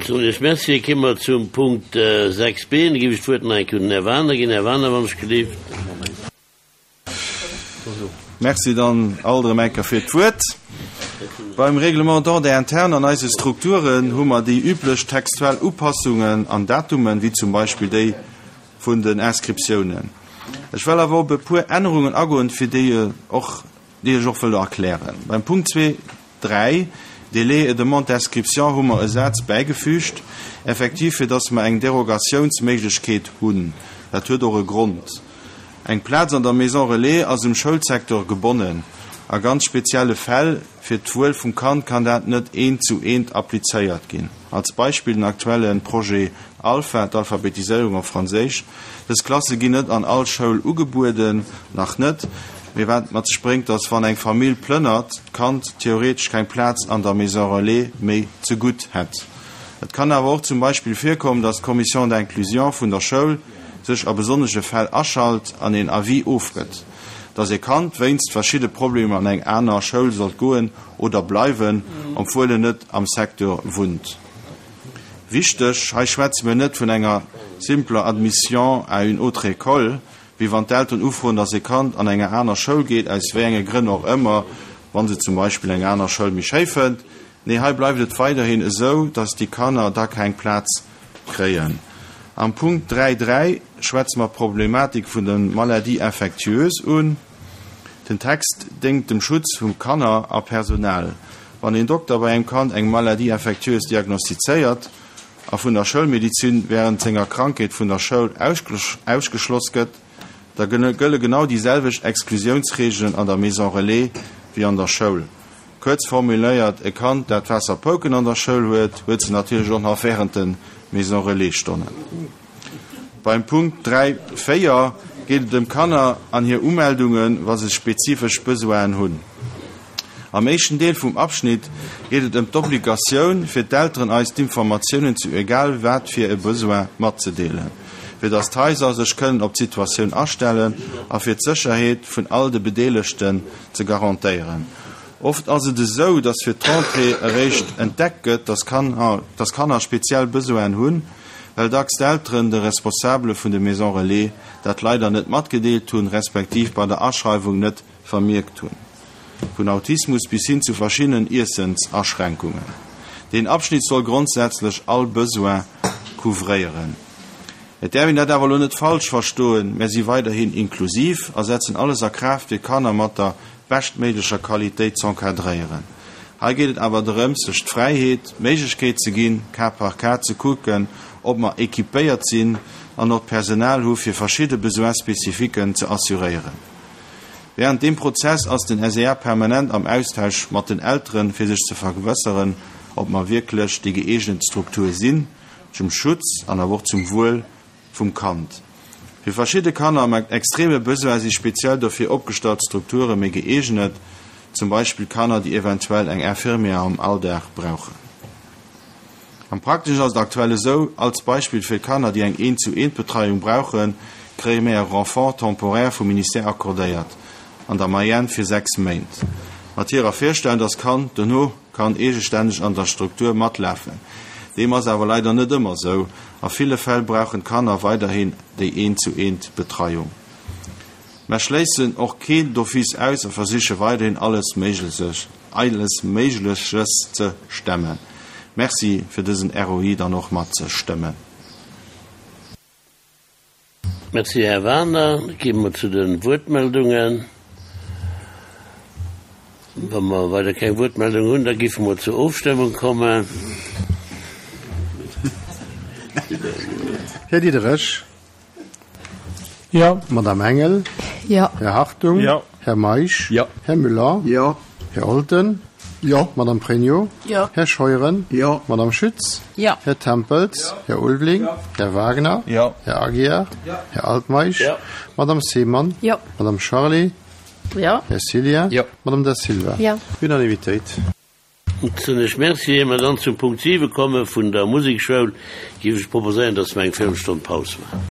Soen Iech Merci. Kéime mer zum Punkt 6 b. Da géif ech d'Wuert nach eng Kéier un den Här Wagener ginn. Här Wagener, wann ech gelift. Merci dann alt erëm eng Kéier fir d'Wuert. Beim Règlement d'ordre interne an eise Strukturen hu mer déi üblech textuell Upassungen an Datumen, wéi zum Beispill déi vun den Inscriptiounen. Ech well awer op e puer Ännerungen agoen, fir déi och, déi ech och wëll erklären. Beim Punkt zwee 3, Délais et demande d'inscription hu mer e Saz bäigefügt, effektiv fir dass mer eng Derogatiounsméiglechkeet hunn. Dat huet och e Grond. Eng Plaz an der Maison relais ass um Schoulsecteur gebonnen. A ganz spezielle Fäll, fir d'Wuel vum Kand, kann dat net eent zu eent applizéiert ginn. Als Beispill den aktuelle Projet Alpha, d'Alphabetiséierung op Franséisch. Dës Klasse ginn net an all Schoul ugebueden, nach net, mee wat et mat sech bréngt, dass wann eng Famill plënnert, d'Kand theoretesch keng Plaz an der Maison relais méi zegutt hätt. Et kann awer och zum Beispill virkommen, dass d'Commission d'inclusion vun der Schoul sech a besonnesche Fäll aschalt an een Avis ofgëtt, dass e Kand wéinst verschidde Problemer an eng aner Schoul sollt goen oder bleiwen, obwuel en net am Secteur wunnt. Wichteg, Hei schwätze mir net vun enger simpler Admission à une autre école, wéi wann d'Elteren ufroen, dass e Kand an enger aner Schoul geet, aus wéi enge Grënn och ëmmer, wa se zum Beispill eng aner Schoul méi schéi fënnt. Nee, hei bleift et weiderhin esou, dass déi Kanner da keng Plaz kréien. Am Punkt 3, 3 schwätze mer d'Problematik vun de Maladies infectieuses un. Den Text déngt dem Schutz vu Kanner a Personal. Wann een Dokter bei engem Kand eng Maladie infectieuse diagnostizéiert a vun der Schoulmedizin wärend senger Krankheet vun der Schoul ausgeschloss gëtt, da gëlle genau déi selwecht Exklusiounsreegelen an der Maison relais wéi an der Schoul. Kuerz formuléiert, E Kand, dat Waasserpouken an der Schoul huet, huet se natierlech och nach wärend de Maison relais-Stonnen. Beim Punkt 3, 4 geet et ëm Kanner an hir Umeldungen, wa se spezifesch Besoinen hunn. Am éischten Deel vum Abschnitt geet et ëm d'Obligatioun fir d'Elteren eis d'Informatiounen zu egal wat fir e Besoin matzedeelen, fir datt d'Haiser sech kënnen op d'Situatioun astellen a fir d'Sécherheet vun all de Bedeelegten ze garantéieren. Oft ass et esou, datt fir d'Rentrée eréischt entdeckt gëtt, datt Kanner speziell Besoinen hunn, well dacks d'Elteren de Responsabele vun de Maisons Relais dat leider net matgedeelt hunn, respektiv bei der Aschreiwung net vermierkt hunn. Vun Autismus bis hin zu verschiddenen Iessensaschränkungen. Deen Abschnitt soll grondsätzlech all Besoin couvréieren. Et däerf een dat awer elo net falsch verstoen, Mär si weiderhin inklusiv a setzen alles a Kraaft fir Kanner mat der beschtméiglecher Qualitéit z'encadréieren. Hei geet et awer drëms, sech d'Fräiheet, d'Méiglechkeet ze ginn, cas par cas ze kucken, ob mer équipéiert sinn an och d'Personal hu fir verschidde Besoins spécifiquen ze assuréieren. Während deem Prozess ass den SEA permanent am Austausch mat den Elteren, fir sech ze vergewësseren, ob mer wierklech déi gëeegent Struktur sinn, zum Schutz an awer och zum Wuel vum Kand. Fir verschidde Kanner mat extreme Besoin si speziell dofir opgestallt Strukture méi gëeegnet, zum Beispill Kanner, déi eventuell eng Infirmière am Alldag brauchen. Am Prakteschen ass et aktuell esou, als Beispill fir Kanner, déi eng Eent-zu-eent-Betreiung brauchen, kréie mir e Renfort temporaire vum Ministère accordéiert, an der Moyenne fir 6 Méint, mat hirer Virstellung, dass d'Kand dono kann eegestänneg an der Struktur matlafen. Deem ass awer leider net ëmmer sou. A ville Fäll brauchen d'Kanner weiderhin déi Eent-zu-eent-Betreiung. Mer schléissen och keen d'office aus a versiche weiderhin alles Méigleches ze stemmen. Merci fir dësen ROI dann och mat ze stëmmen. Merci, Här Wagener. Da gi mer zu de Wuertmeldungen. Wa mer weider keng Wuertmeldung hunn, da géife mer zur Ofstëmmung kommen. Här Diderich. Jo. Madame Engel. Jo. Här Hartung. Jo. Här Meisch. Jo. Här Müller. Jo. Här Olten. Jo. Madame Pregno. Jo. Här Scheuren. Jo. Madame Schütz. Jo. Här Tempels. Jo. Här Ulveling. Jo. Här Wagner. Jo. Här Aguiar. Jo. Här Altmeisch. Jo. Madame Seemann. Jo. Madame Charlé. Jo. Här Cillien. Jo. Madame Da Silva. Jo. Unanimitéit. Soen ech Merci. Ier mer dann zum Punkt 7 komme vun der Musekschoul, géif ech proposéieren, dass mer eng Véirelstonn Paus maachen.